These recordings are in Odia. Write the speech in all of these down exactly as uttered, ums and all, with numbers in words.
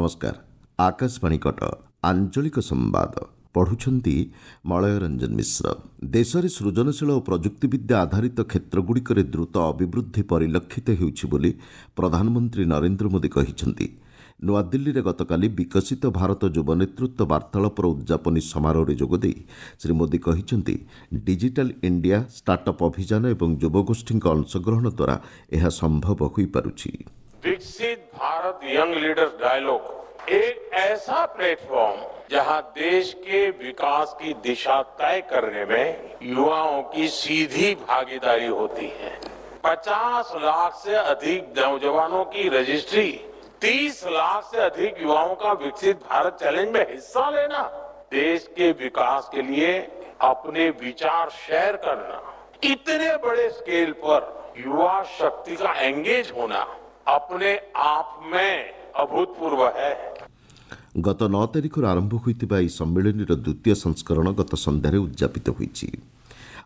ନମସ୍କାର ଆକାଶବାଣୀ କଟକ ଆଞ୍ଚଳିକ ସମ୍ବାଦ ପଢୁଛନ୍ତି ମଳୟ ରଞ୍ଜନ ମିଶ୍ର ଦେଶରେ ସୃଜନଶୀଳ ଓ ପ୍ରଯୁକ୍ତିବିଦ୍ୟା ଆଧାରିତ କ୍ଷେତ୍ରଗୁଡ଼ିକରେ ଦ୍ରୁତ ଅଭିବୃଦ୍ଧି ପରିଲକ୍ଷିତ ହେଉଛି ବୋଲି ପ୍ରଧାନମନ୍ତ୍ରୀ ନରେନ୍ଦ୍ର ମୋଦି କହିଛନ୍ତି ନୂଆଦିଲ୍ଲୀରେ ଗତକାଲି ବିକଶିତ ଭାରତ ଯୁବ ନେତୃତ୍ୱ ବାର୍ତ୍ତାଳାପର ଉଦ୍ଯାପନୀ ସମାରୋହରେ ଯୋଗଦେଇ ଶ୍ରୀ ମୋଦି କହିଛନ୍ତି ଡିଜିଟାଲ ଇଣ୍ଡିଆ ଷ୍ଟାର୍ଟଅପ୍ ଅଭିଯାନ ଏବଂ ଯୁବଗୋଷ୍ଠୀଙ୍କ ଅଂଶଗ୍ରହଣ ଦ୍ୱାରା ଏହା ସମ୍ଭବ ହୋଇପାରୁଛି विकसित भारत यंग लीडर्स डायलॉग एक ऐसा प्लेटफॉर्म जहां देश के विकास की दिशा तय करने में युवाओं की सीधी भागीदारी होती है पचास लाख से अधिक नौजवानों की रजिस्ट्री तीस लाख से अधिक युवाओं का विकसित भारत चैलेंज में हिस्सा लेना देश के विकास के लिए अपने विचार शेयर करना इतने बड़े स्केल पर युवा शक्ति का एंगेज होना अपने आप में अभूतपूर्व है ଗତ ନଅ ତାରିଖରୁ ଆରମ୍ଭ ହୋଇଥିବା ଏହି ସମ୍ମିଳନୀର ଦ୍ୱିତୀୟ ସଂସ୍କରଣ ଗତ ସନ୍ଧ୍ୟାରେ ଉଦ୍ଯାପିତ ହୋଇଛି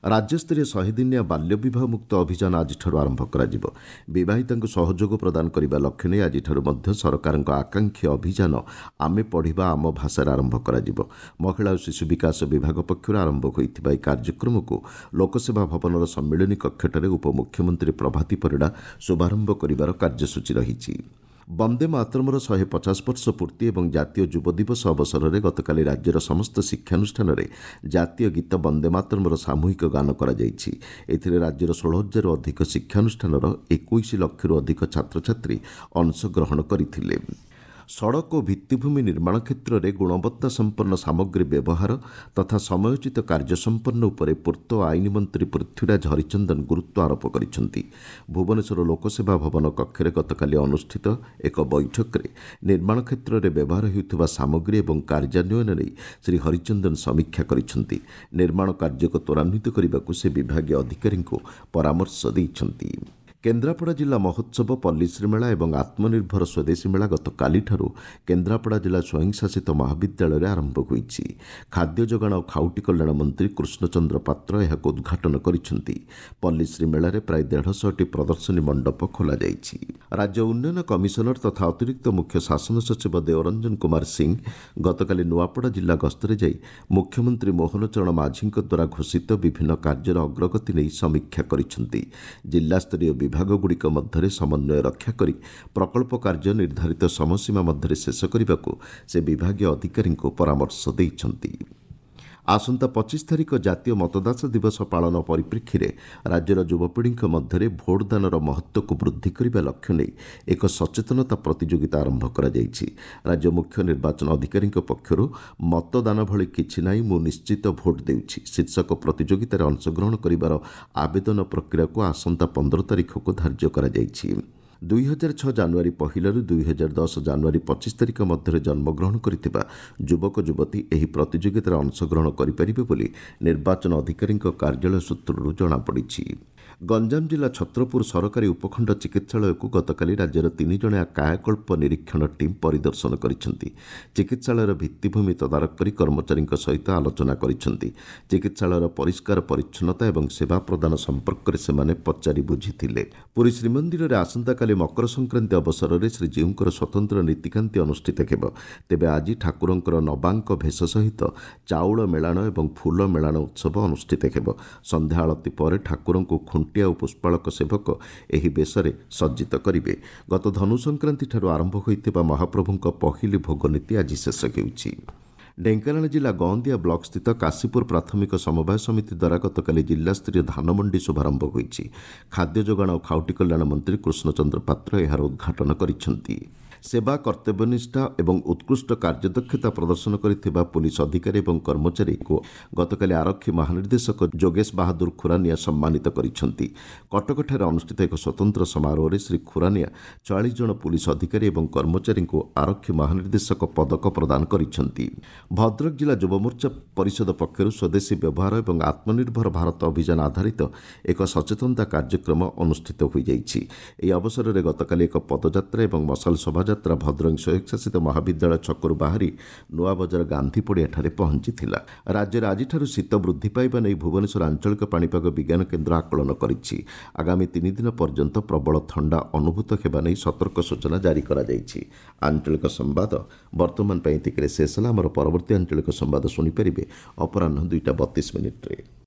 ରାଜ୍ୟସ୍ତରୀୟ ଶହେଦିନିଆ ବାଲ୍ୟବିବାହ ମୁକ୍ତ ଅଭିଯାନ ଆଜିଠାରୁ ଆରମ୍ଭ କରାଯିବ ବିବାହିତାଙ୍କୁ ସହଯୋଗ ପ୍ରଦାନ କରିବା ଲକ୍ଷ୍ୟ ନେଇ ଆଜିଠାରୁ ମଧ୍ୟ ସରକାରଙ୍କ ଆକାଂକ୍ଷୀ ଅଭିଯାନ ଆମେ ପଢ଼ିବା ଆମ ଭାଷାରେ ଆରମ୍ଭ କରାଯିବ ମହିଳା ଓ ଶିଶୁ ବିକାଶ ବିଭାଗ ପକ୍ଷରୁ ଆରମ୍ଭ ହୋଇଥିବା ଏହି କାର୍ଯ୍ୟକ୍ରମକୁ ଲୋକସେବା ଭବନର ସମ୍ମିଳନୀ କକ୍ଷଠାରେ ଉପମୁଖ୍ୟମନ୍ତ୍ରୀ ପ୍ରଭାତୀ ପରିଡ଼ା ଶୁଭାରମ୍ଭ କରିବାର କାର୍ଯ୍ୟସୂଚୀ ରହିଛି ବନ୍ଦେ ମାତରମର ଶହେ ପଚାଶ ବର୍ଷ ପୂର୍ତ୍ତି ଏବଂ ଜାତୀୟ ଯୁବ ଦିବସ ଅବସରରେ ଗତକାଲି ରାଜ୍ୟର ସମସ୍ତ ଶିକ୍ଷାନୁଷ୍ଠାନରେ ଜାତୀୟ ଗୀତ ବନ୍ଦେ ମାତରମର ସାମୂହିକ ଗାନ କରାଯାଇଛି ଏଥିରେ ରାଜ୍ୟର ଷୋହଳ ହଜାରରୁ ଅଧିକ ଶିକ୍ଷାନୁଷ୍ଠାନର ଏକୋଇଶ ଲକ୍ଷରୁ ଅଧିକ ଛାତ୍ରଛାତ୍ରୀ ଅଂଶଗ୍ରହଣ କରିଥିଲେ ସଡ଼କ ଓ ଭିତ୍ତିଭୂମି ନିର୍ମାଣ କ୍ଷେତ୍ରରେ ଗୁଣବତ୍ତା ସମ୍ପନ୍ନ ସାମଗ୍ରୀ ବ୍ୟବହାର ତଥା ସମୟୋଚିତ କାର୍ଯ୍ୟ ସମ୍ପନ୍ନ ଉପରେ ପୂର୍ତ୍ତ ଓ ଆଇନ ମନ୍ତ୍ରୀ ପୃଥ୍ୱୀରାଜ ହରିଚନ୍ଦନ ଗୁରୁତ୍ୱ ଆରୋପ କରିଛନ୍ତି ଭୁବନେଶ୍ୱର ଲୋକସେବା ଭବନ କକ୍ଷରେ ଗତକାଲି ଅନୁଷ୍ଠିତ ଏକ ବୈଠକରେ ନିର୍ମାଣ କ୍ଷେତ୍ରରେ ବ୍ୟବହାର ହେଉଥିବା ସାମଗ୍ରୀ ଏବଂ କାର୍ଯ୍ୟାନ୍ୱୟନ ନେଇ ଶ୍ରୀ ହରିଚନ୍ଦନ ସମୀକ୍ଷା କରିଛନ୍ତି ନିର୍ମାଣ କାର୍ଯ୍ୟକୁ ତ୍ୱରାନ୍ୱିତ କରିବାକୁ ସେ ବିଭାଗୀୟ ଅଧିକାରୀଙ୍କୁ ପରାମର୍ଶ ଦେଇଛନ୍ତି କେନ୍ଦ୍ରାପଡ଼ା ଜିଲ୍ଲା ମହୋତ୍ସବ ପଲ୍ଲୀଶ୍ରୀ ମେଳା ଏବଂ ଆତ୍ମନିର୍ଭର ସ୍ୱଦେଶୀ ମେଳା ଗତକାଲିଠାରୁ କେନ୍ଦ୍ରାପଡ଼ା ଜିଲ୍ଲା ସ୍ୱୟଂଶାସିତ ମହାବିଦ୍ୟାଳୟରେ ଆରମ୍ଭ ହୋଇଛି ଖାଦ୍ୟ ଯୋଗାଣ ଓ ଖାଉଟି କଲ୍ୟାଣ ମନ୍ତ୍ରୀ କୃଷ୍ଣଚନ୍ଦ୍ର ପାତ୍ର ଏହାକୁ ଉଦ୍ଘାଟନ କରିଛନ୍ତି ପଲ୍ଲୀଶ୍ରୀ ମେଳାରେ ପ୍ରାୟ ଦେଢ଼ଶହଟି ପ୍ରଦର୍ଶନୀ ମଣ୍ଡପ ଖୋଲାଯାଇଛି ରାଜ୍ୟ ଉନ୍ନୟନ କମିଶନର ତଥା ଅତିରିକ୍ତ ମୁଖ୍ୟ ଶାସନ ସଚିବ ଦେଓରଞ୍ଜନ କୁମାର ସିଂ ଗତକାଲି ନୂଆପଡ଼ା ଜିଲ୍ଲା ଗସ୍ତରେ ଯାଇ ମୁଖ୍ୟମନ୍ତ୍ରୀ ମୋହନ ଚରଣ ମାଝୀଙ୍କ ଦ୍ୱାରା ଘୋଷିତ ବିଭିନ୍ନ କାର୍ଯ୍ୟର ଅଗ୍ରଗତି ନେଇ ସମୀକ୍ଷା କରିଛନ୍ତି ଜିଲ୍ଲାସ୍ତରୀୟ ବିଭାଗଗୁଡ଼ିକ ମଧ୍ୟରେ ସମନ୍ୱୟ ରକ୍ଷା କରି ପ୍ରକଳ୍ପ କାର୍ଯ୍ୟ ନିର୍ଦ୍ଧାରିତ ସମୟସୀମା ମଧ୍ୟରେ ଶେଷ କରିବାକୁ ସେ ବିଭାଗୀୟ ଅଧିକାରୀଙ୍କୁ ପରାମର୍ଶ ଦେଇଛନ୍ତି ଆସନ୍ତା ପଚିଶ ତାରିଖ ଜାତୀୟ ମତଦାତା ଦିବସ ପାଳନ ପରିପ୍ରେକ୍ଷୀରେ ରାଜ୍ୟର ଯୁବପିଢ଼ିଙ୍କ ମଧ୍ୟରେ ଭୋଟଦାନର ମହତ୍ତ୍ୱକୁ ବୃଦ୍ଧି କରିବା ଲକ୍ଷ୍ୟ ନେଇ ଏକ ସଚେତନତା ପ୍ରତିଯୋଗିତା ଆରମ୍ଭ କରାଯାଇଛି ରାଜ୍ୟ ମୁଖ୍ୟ ନିର୍ବାଚନ ଅଧିକାରୀଙ୍କ ପକ୍ଷରୁ ମତଦାନ ଭଳି କିଛି ନାହିଁ ମୁଁ ନିଶ୍ଚିତ ଭୋଟ ଦେଉଛି ଶୀର୍ଷକ ପ୍ରତିଯୋଗିତାରେ ଅଂଶଗ୍ରହଣ କରିବାର ଆବେଦନ ପ୍ରକ୍ରିୟାକୁ ଆସନ୍ତା ପନ୍ଦର ତାରିଖକୁ ଧାର୍ଯ୍ୟ କରାଯାଇଛି ଦୁଇ ହଜାର ଛଅ ଜାନୁଆରୀ ପହିଲାରୁ ଦୁଇ ହଜାର ଦଶ ଜାନୁଆରୀ ପଚିଶ ତାରିଖ ମଧ୍ୟରେ ଜନ୍ମଗ୍ରହଣ କରିଥିବା ଯୁବକ ଯୁବତୀ ଏହି ପ୍ରତିଯୋଗିତାରେ ଅଂଶଗ୍ରହଣ କରିପାରିବେ ବୋଲି ନିର୍ବାଚନ ଅଧିକାରୀଙ୍କ କାର୍ଯ୍ୟାଳୟ ସୂତ୍ରରୁ ଜଣାପଡ଼ିଛି ଗଞ୍ଜାମ ଜିଲ୍ଲା ଛତ୍ରପୁର ସରକାରୀ ଉପଖଣ୍ଡ ଚିକିତ୍ସାଳୟକୁ ଗତକାଲି ରାଜ୍ୟର ତିନି ଜଣିଆ କାୟାକଳ୍ପ ନିରୀକ୍ଷଣ ଟିମ୍ ପରିଦର୍ଶନ କରିଛନ୍ତି ଚିକିତ୍ସାଳୟର ଭିତ୍ତିଭୂମି ତଦାରଖ କରି କର୍ମଚାରୀଙ୍କ ସହିତ ଆଲୋଚନା କରିଛନ୍ତି ଚିକିତ୍ସାଳୟର ପରିଷ୍କାର ପରିଚ୍ଛନ୍ନତା ଏବଂ ସେବା ପ୍ରଦାନ ସମ୍ପର୍କରେ ସେମାନେ ପଚାରି ବୁଝିଥିଲେ ପୁରୀ ଶ୍ରୀମନ୍ଦିରରେ ଆସନ୍ତାକାଲି ମକର ସଂକ୍ରାନ୍ତି ଅବସରରେ ଶ୍ରୀଜୀଉଙ୍କର ସ୍ୱତନ୍ତ୍ର ନୀତିକାନ୍ତି ଅନୁଷ୍ଠିତ ହେବ ତେବେ ଆଜି ଠାକୁରଙ୍କର ନବାଙ୍କ ଭେଷ ସହିତ ଚାଉଳ ମେଳାଣ ଏବଂ ଫୁଲ ମେଳାଣ ଉତ୍ସବ ଅନୁଷ୍ଠିତ ହେବ ସନ୍ଧ୍ୟା ଆଳତୀ ପରେ ଠାକୁରଙ୍କୁ ଖୁଣ୍ଟିଆ ଓ ପୁଷ୍ପାଳକ ସେବକ ଏହି ବେଶରେ ସଜ୍ଜିତ କରିବେ ଗତ ଧନୁ ସଂକ୍ରାନ୍ତିଠାରୁ ଆରମ୍ଭ ହୋଇଥିବା ମହାପ୍ରଭୁଙ୍କ ପହିଲି ଭୋଗ ନୀତି ଆଜି ଶେଷ ହେଉଛି ଢେଙ୍କାନାଳ ଜିଲ୍ଲା ଗଅନ୍ଦିଆ ବ୍ଲକସ୍ଥିତ କାଶୀପୁର ପ୍ରାଥମିକ ସମବାୟ ସମିତି ଦ୍ୱାରା ଗତକାଲି ଜିଲ୍ଲାସ୍ତରୀୟ ଧାନମଣ୍ଡି ଶୁଭାରମ୍ଭ ହୋଇଛି ଖାଦ୍ୟ ଯୋଗାଣ ଓ ଖାଉଟି କଲ୍ୟାଣ ମନ୍ତ୍ରୀ କୃଷ୍ଣଚନ୍ଦ୍ର ପାତ୍ର ଏହାର ଉଦ୍ଘାଟନ କରିଛନ୍ତି ସେବା କର୍ତ୍ତବ୍ୟନିଷ୍ଠା ଏବଂ ଉତ୍କୃଷ୍ଟ କାର୍ଯ୍ୟଦକ୍ଷତା ପ୍ରଦର୍ଶନ କରିଥିବା ପୁଲିସ ଅଧିକାରୀ ଏବଂ କର୍ମଚାରୀଙ୍କୁ ଗତକାଲି ଆରକ୍ଷୀ ମହାନିର୍ଦ୍ଦେଶକ ଯୋଗେଶ ବାହାଦୁର ଖୁରାନିଆ ସମ୍ମାନିତ କରିଛନ୍ତି କଟକଠାରେ ଅନୁଷ୍ଠିତ ଏକ ସ୍ୱତନ୍ତ୍ର ସମାରୋହରେ ଶ୍ରୀ ଖୁରାନିଆ ଚାଳିଶ ଜଣ ପୁଲିସ ଅଧିକାରୀ ଏବଂ କର୍ମଚାରୀଙ୍କୁ ଆରକ୍ଷୀ ମହାନିର୍ଦ୍ଦେଶକ ପଦକ ପ୍ରଦାନ କରିଛନ୍ତି ଭଦ୍ରକ ଜିଲ୍ଲା ଯୁବମୋର୍ଚ୍ଚା ପରିଷଦ ପକ୍ଷରୁ ସ୍ୱଦେଶୀ ବ୍ୟବହାର ଏବଂ ଆତ୍ମନିର୍ଭର ଭାରତ ଅଭିଯାନ ଆଧାରିତ ଏକ ସଚେତନତା କାର୍ଯ୍ୟକ୍ରମ ଅନୁଷ୍ଠିତ ହୋଇଯାଇଛି ଏହି ଅବସରରେ ଗତକାଲି ଏକ ପଦଯାତ୍ରା ଏବଂ ମଶାଲ ଶୋଭାଯାତ୍ରା ଶୋଭାଯାତ୍ରା ଭଦ୍ରକ ସ୍ୱୟଂଶାସିତ ମହାବିଦ୍ୟାଳୟ ଛକରୁ ବାହାରି ନୂଆବଜାର ଗାନ୍ଧୀ ପଡ଼ିଆଠାରେ ପହଞ୍ଚିଥିଲା। ରାଜ୍ୟରେ ଆଜିଠାରୁ ଶୀତ ବୃଦ୍ଧି ପାଇବା ନେଇ ଭୁବନେଶ୍ୱର ଆଞ୍ଚଳିକ ପାଣିପାଗ ବିଜ୍ଞାନ କେନ୍ଦ୍ର ଆକଳନ କରିଛି। ଆଗାମୀ ତିନି ଦିନ ପର୍ଯ୍ୟନ୍ତ ପ୍ରବଳ ଥଣ୍ଡା ଅନୁଭୂତ ହେବା ନେଇ ସତର୍କ ସୂଚନା ଜାରି କରାଯାଇଛି। ଆଞ୍ଚଳିକ ସମ୍ବାଦ ବର୍ତ୍ତମାନ ପାଇଁ ଏତିକିରେ ଶେଷ ହେଲା। ଆମର ପରବର୍ତ୍ତୀ ଆଞ୍ଚଳିକ ସମ୍ବାଦ ଶୁଣିପାରିବେ ଅପରାହ୍ନ ଦୁଇଟା ବତିଶ ମିନିଟ୍ରେ।